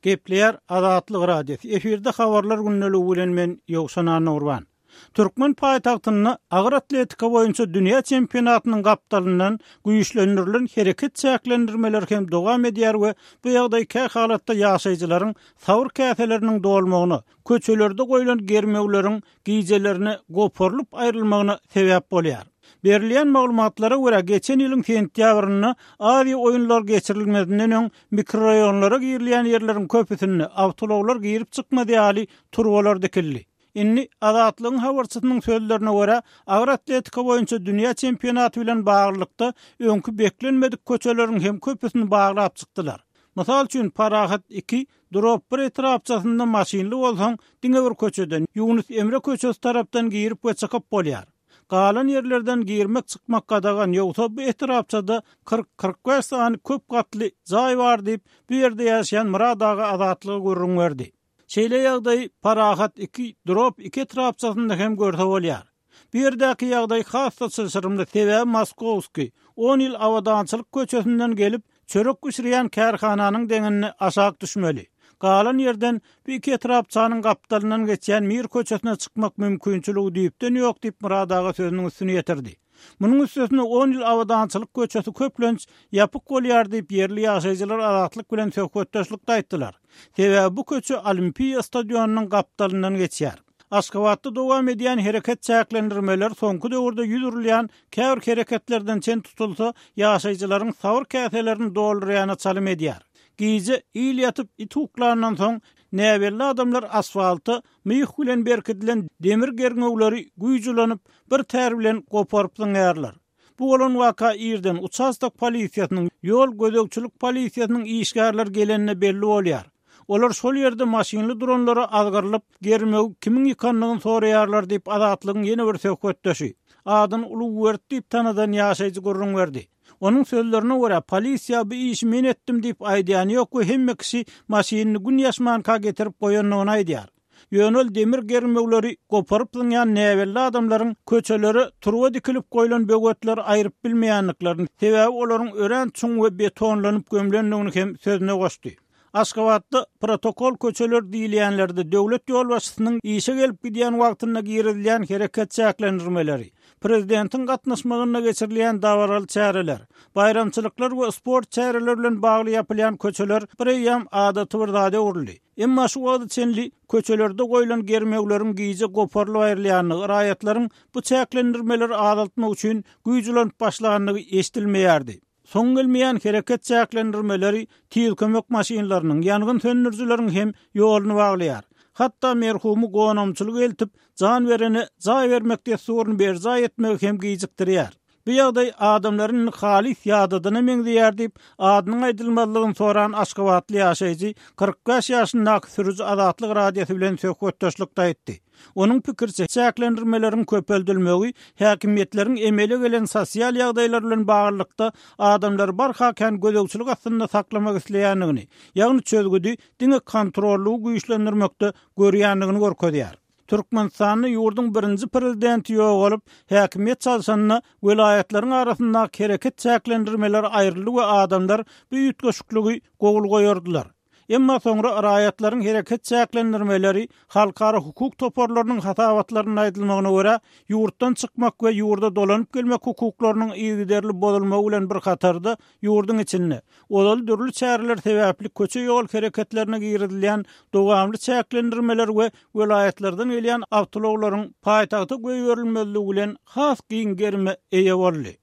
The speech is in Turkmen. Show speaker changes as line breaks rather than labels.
Gepleýär Azatlyk Radiosy. Efirde habarlar gündeligi bilen men Ýowşan Annagurban. Türkmen paýtagtynda agyr atletika boýunça dünýä çempionatynyň gapdalyndan güýçlendirilen hereket çäklendirmeleri hem dowam edýär we bu ýagdaý kä halatda ýaşaýjylaryň sabyr käseleriniň dolmagyna, köçelerde goýlan germewleriň gijelerine goparylyp aýrylmagyna sebäp bolýar. Berilýän maglumatlara görä, geçen ýylyň sentýabrynda Aziýa oýunlary geçirilmezinden öň mikroraýonlara girilýän ýerleriň köpüsinde awtoulaglar girip-çykmaz ýaly turbalar dikildi. Indi, Azatlygyň habarçysynyň sözlerine görä, agyr atletika boýunça dünýä çempionaty bilen baglylykda öňki beklenmedik köçeleriň hem köpüsini baglap çykdylar. Mysal üçin, Parahat iki, Drop bir etrapçasynda maşynly bolsaň, diňe bir köçeden, Ýunus Emre köçesi tarapdan girip we çykyp bolýar. Galan ýerlerden girmek-çykmak gadagan, ýogsa bu etrapçada 40, 45 sany köp gatly jaý bar diýip, bu ýerde ýaşaýan Myrat aga Azatlyga gürrüň berdi. Şeýle ýagdaýy Parahat iki, Drop iki etrapçasynda hem görse bolýar. Bu ýerdäki ýagdaý has-da çylşyrymly, sebäbi Moskowskiý, on ýyl Abadançylyk köçesinden gelip, çörek bişirýän kärhananyň deňinde aşak düşmeli. Galan ýerden bu iki etrapçanyň gapdalyndan geçýän Mir köçesine çykmak mümkinçiligi düýpden ýok diýip, Myrat aga sözüniň üstüni ýetirdi. Munuň üstesine on ýyl Abadançylyk köçesi köplenç ýapyk bolýar diýip, ýerli ýaşaýjylar Azatlyk bilen söhbetdeşlikde aýtdylar. Sebäbi bu köçe Olimpiýa stadionynyň gapdalyndan geçýär. Aşgabatda dowam edýän hereket çäklendirmeleri soňky döwürde ýüz urulýan käbir hereketlerden çen tutulsa, ýaşaýjylaryň sabyr käselerini doldurýana çalym edýär. Gije il ýatyp, it uklandan soň, näbelli adamlar asfalta myh bilen berkidilen demir gerňewleri güýç ulanyp, bir tär bilen goparyp zyňýarlar. Bu bolan waka irden uçastok polisiýasynyň, ýol gözegçilik polisiýasynyň işgärleri gelende belli bolýar. Olar şol ýerde maşynly duranlara azgyrylyp, germewi kimiň ýykandygyny soraýarlar diýip, Azatlygyň ýene bir söhbetdeşi, adyny Ulugberdi diýip tanadan ýaşaýjy gürrüň berdi. Onuň sözlerine görä, polisiýa bu işi men etdim diýip aýdýany ýok we hemme kişi maşynyny gün ýaşmanka getirip goýandygyny aýdýar. Ýöne ol demir germewleri goparyp zyňýan näbelli adamlaryň köçelere turba dikilip goýlan böwetleri aýryp bilmeýändiklerini, sebäbi olaryň örän çuň we betonlanyp gömlendigini hem sözüne goşdy. Aşgabatda protokol köçeler diýilýänlerde döwlet ýolbaşçysynyň işe gelip gidýän wagtynda girizilýän hereket çäklendirmeleri, prezidentiň gatnaşmagynda geçirilýän dabaraly çäreler, baýramçylyklar we sport çäreleri bilen bagly ýapylýan köçeler bireýýäm adaty bir zada öwrüldi. Emma şu wagta çenli köçelerde goýlan germewleriň gije goparylyp aýrylýandygy, raýatlaryň bu çäklendirmeleri azaltmak üçin güýç ulanyp başlandygy eşidilmeýärdi. Soň gelmeýän hereket çäklendirmeleri tiz kömek maşynlarynyň, ýangyn söndürijileriň hem ýoluny baglaýar. Hatda merhumy gonamçylyga eltip, jan berene jaý bermek dessuryny berjaý etmegi hem gijikdirýär. Bu ýagdaý adamlary indi halys ýadadana meňzeýär diýip, adynyň aýdylmazlygyny soran aşgabatly ýaşaýjy, 45 ýaşyndaky sürüji Azatlyk Radiosy bilen söhbetdeşlikde aýtdy. Onuň pikiriçe, çäklendirmeleriň köpeldilmegi häkimiýetleriň emele gelen sosial ýagdaýlar bilen baglylykda adamlary barha kän gözegçilik astynda saklamak isleýändigini, ýagny çözgüdi diňe kontrollygy güýçlendirmekde görýändigini görkezýär. Türkmenistanda ýurduň birinji prezidenti ýogalyp, häkimiýet çalşanda welaýatlaryň arasyndaky hereket çäklendirmeleri aýryldy we adamlar bu üýtgeşikligi gowul goýardylar. Emma soňra raýatlaryň hereket çäklendirmeleri halkara hukuk toparlarynyň hasabatlarynda aýdylmagyna görä, ýurtdan çykmak we ýurda dolanyp gelmek hukuklarynyň yzygiderli bozulmagy bilen bir hatarda ýurduň içinde, ozal dürli çäreler sebäpli köçe-ýol hereketlerine girizilýän dowamly çäklendirmeler we welaýatlardan gelýän awtoulaglaryň paýtagta goýberilmezligi bilen has giň gerime eýe boldy.